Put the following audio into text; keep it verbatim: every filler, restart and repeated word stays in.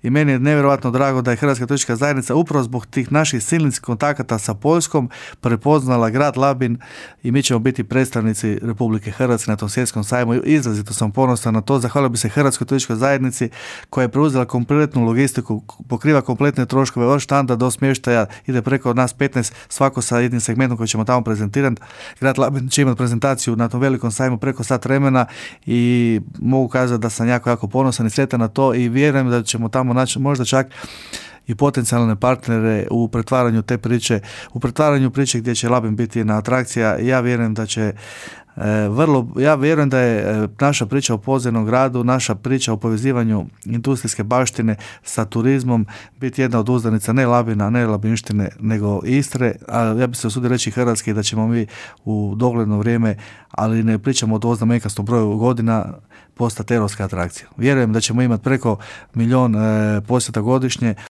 i meni je nevjerojatno drago da je Hrvatska turistička zajednica upravo zbog tih naših silnih kontakata sa Poljskom prepoznala grad Labin i mi ćemo biti predstavnici Republike Hrvatske na tom svjetskom sajmu. Izrazito sam ponosan na to. Zahvalio bi se Hrvatskoj turističkoj zajednici koja je preuzela kompletnu logistiku, pokriva kompletne troškove od štanda do smještaja, ide preko od nas petnaest, svako sa jednim segmentom koji ćemo tamo prezentirati. Grad Labin će imati prezentaciju na tom velikom sajmu preko sat vremena i mogu kazati da sam jako, jako ponosan i sretan na to i vjerujem da ćemo tamo naći možda čak i potencijalne partnere u pretvaranju te priče, u pretvaranju priče gdje će Labin biti jedna atrakcija. Ja vjerujem da će E, vrlo, ja vjerujem da je e, naša priča o podzemnom gradu, naša priča o povezivanju industrijske baštine sa turizmom biti jedna od uzdanica ne Labina, ne Labinštine, nego Istre, a ja bih se usudio reći Hrvatske da ćemo mi u dogledno vrijeme, ali ne pričamo o doznamenkastom broju godina, postati europska atrakcija. Vjerujem da ćemo imati preko milion e, posjeta godišnje,